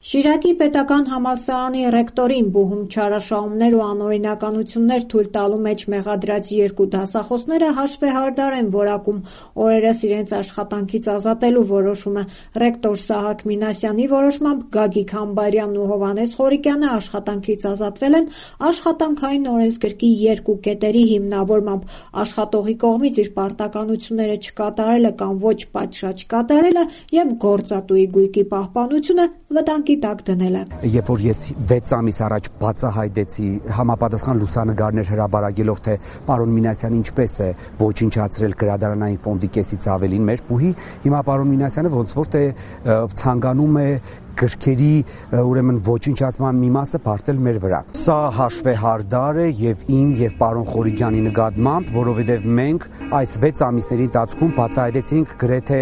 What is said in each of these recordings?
Շիրակի պետական համալսարանի ռեկտորին բուհում չարաշահումներ ու անօրինականություններ թույլ տալու մեջ մեղադրած 2 դասախոսները հաշվեհարդար են որակում օրերս իրենց աշխատանքից ազատելու որոշումը։ Ռեկտոր Սահակ Մինասյանի որոշմամբ Գագիկ Համբարյանն ու Հովհաննես Խորիկյանը աշխատանքից ազատվել են աշխատանքային օրենսգրքի 2 կետերի հիմնավորմամբ՝ աշխատողի կողմից իր պարտականությունները չկատարելը կամ ոչ պատշաճ կատարելը եւ գործատուի գույքի պահպանությունը վտանգի տակ դնելը։ Երբ որ ես 6 ամիս առաջ բացահայտեցի համապատասխան լուսանգարներ հրապարակելով, թե պարոն Մինասյանը ինչպես է ոչնչացրել գրադարանային ֆոնդի կեսից ավելին մեր բուհի, հիմա պարոն Մինասյանը ոնց որ թե ցանկանում է գրքերի ուրեմն ոչնչացման մի մասը բարդել մեր վրա։ Սա հաշվեհարդար է եւ իմ եւ պարոն Խորիկյանի նկատմամբ, որովհետեւ մենք այս 6 ամիսների ընթացքում բացահայտեցինք գրեթե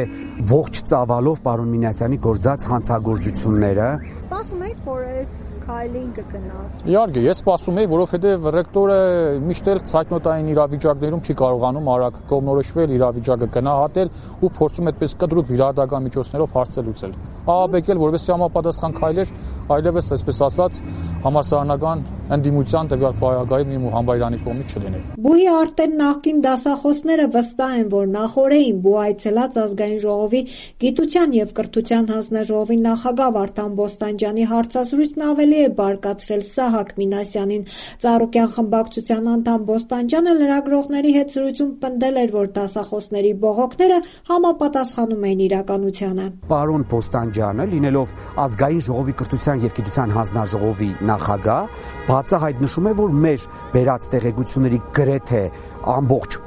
ողջ ծավալով պարոն Մինասյանի գործած հանցագործությունները։ Սպասում եք, որ այս քայլին կգնա։ Իհարկե, ես սպասում եի, որովհետեւ ռեկտորը միշտ էլ ցայտնոտային իրավիճակներում չի կարողանում արագ կողմնորոշվել, իրավիճակը գնահատել ու փորձում այդպես կտրուկ վիրահատական միջոցներով հարցը լուծել։ Ահաբեկել, որովհետեւ համապատասխան քայլեր այլևս, այսպես ասած, համալսարանական ընդդիմության տվյալ պարագայում ու Համբարյանի կողմից չլիներ։ Բուհի արդեն նախկին դասախոսները վստահ են, որ նախօրեին բու այցելած ազգային ժողովի գիտության եւ կրթության հանձնաժողովի նախագահ Վարդան Բոստանջյանի հարցազրույցն ավելի է բարկացրել Սահակ Մինասյանին։ Ծառուկյան խմբակցության անդամ Բոստանջյանը լրագրողների հետ զրույցում պնդել էր, որ դասախոսների բողոքները համապատասխանում են իրականությանը։ Պարոն Բոստանջյանը, լինելով ազգային ժողովի կրթության եւ գիտության հանձնաժողովի նախագահ, բացահայտ նշում է, որ մեր բերած տեղեկությունների գրեթե ամբողջ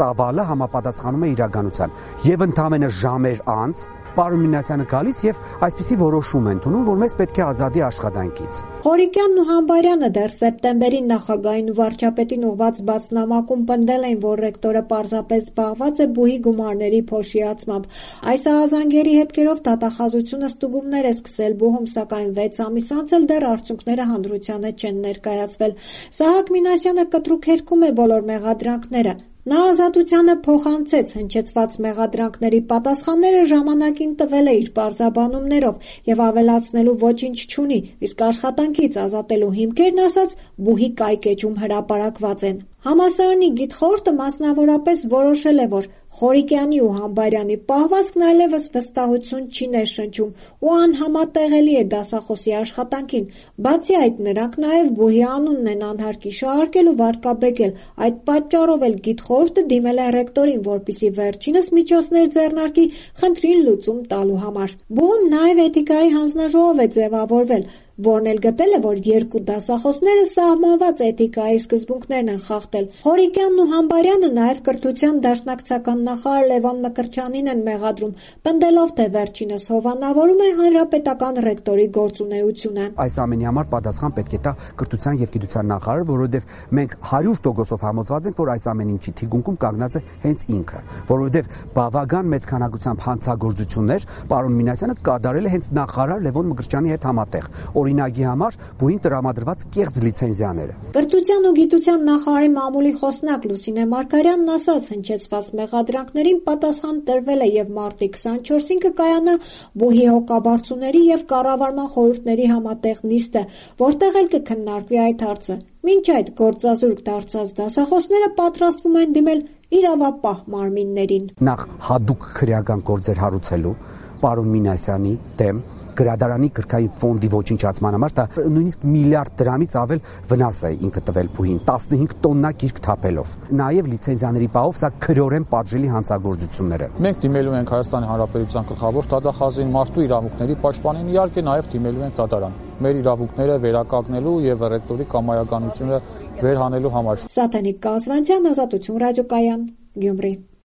ծավալը համապատասխանում է իրականության։ Եվ ընդամենը ժամեր անց պարոն Մինասյանը գալիս եւ այսպիսի որոշում են ընդունում, որ մեզ պետք է ազատի աշխատանքից։ Խորիկյանն ու Համբարյանը դեռ սեպտեմբերին նախագահին ու վարչապետին ուղված բացնամակում պնդել էին, որ ռեկտորը պարզապես զբաղված է բուհի գումարների փոշիացմամբ։ Այս ահազանգերի հետքերով դատախազությունը ստուգումներ է սկսել բուհում, սակայն 6 ամիս անց էլ դեռ արդյունքները հանրությանը չեն ներկայացվել։ Սահակ Մինասյանը կտրուկ հերքում է բոլոր մեղադրանքները։ Նա ազատությանը փոխանցեց հնչեցված մեղադրանքների պատասխանները ժամանակին տվել է իր պարզաբանումներով եւ ավելացնելու ոչինչ չունի, իսկ աշխատանքից ազատելու հիմքերն ասած բուհի կայքեջում հրապարակված են։ Համալսարանի գիտխորհուրդը մասնավորապես որոշել է, որ Խորիկյանի ու Համբարյանի պահվածքն այլևս վստահություն չի ներշնչում ու անհամատեղելի է դասախոսի աշխատանքին։ Բացի այդ, նրանք նաև բուհի անունն են անհարկի շահարկել ու վարկաբեկել։ Այդ պատճառով էլ գիտխորհուրդը դիմել է ռեկտորին, որպեսզի վերջինս միջոցներ ձեռնարկի խնդրին լուծում տալու համար։ Բուհում նաև էթիկայի հանձնաժողով է ձևավորվել, որն էլ գտել է, որ 2 դասախոսները սահմանված էթիկայի սկզբունքներն են խախտել։ Խորիկյանն ու Համբարյանը նաև կրթության դաշնակցական նախարար Լևոն Մկրտչյանին են մեղադրում, պնդելով, թե վերջինս հովանավորում է հանրապետական ռեկտորի գործունեությունը։ Այս ամենի համար պատասխան պետք է տա կրթության եւ գիտության նախարարը, որովհետեւ մենք 100% համոզված ենք, որ այս ամեն ինչի թիկունքում կանգնած է հենց ինքը, որովհետեւ բավական մեծ քանակությամբ հանցագործություններ պարոն Մինասյանը կատարել է հենց նախարար Լևոն Մկրտչյանի հետ համատեղ։ Օրինակի համար բուհին տրամադրված կեղծ լիցենզիաները։ Կրթության ու գիտության նախարարի մամուլի խոսնակ Լուսինե Մարգարյանն ասաց, հնչեցված մեղադրանքներին պատասխան տրվել է եւ մարտի 24-ին կկայանա բուհի հոգաբարձուների եւ կառավարման խորհուրդների համատեղ նիստը, որտեղ էլ կքննարկվի այդ հարցը։ Մինչ այդ գործազուրկ դարձած դասախոսները պատրաստվում են դիմել իրավապահ մարմիններին։ Նախ հadoop քրեական գործեր հարուցելու պարոն Մինասյանի դեմ գրադարանի գրքային ֆոնդի ոչնչացման համար դա նույնիսկ միլիարդ դրամից ավել վնաս է ինքը տվել բուհին 15 տոննա գիրք թափելով։ Նաև լիցենզիաների պահով սա քրեորեն պատժելի հանցագործություններ են։ Մենք դիմելու ենք Հայաստանի Հանրապետության գլխավոր դատախազին, մարդու իրավունքների պաշտպանին, իհարկե նաև դիմելու ենք դատարան։ Մեր իրավունքները վերականգնելու եւ ռեկտորի կամայականությունը վերհանելու համար։ Սաթենիկ Կազվանցյան, Ազատություն ռադիոկայան, Գյումրի։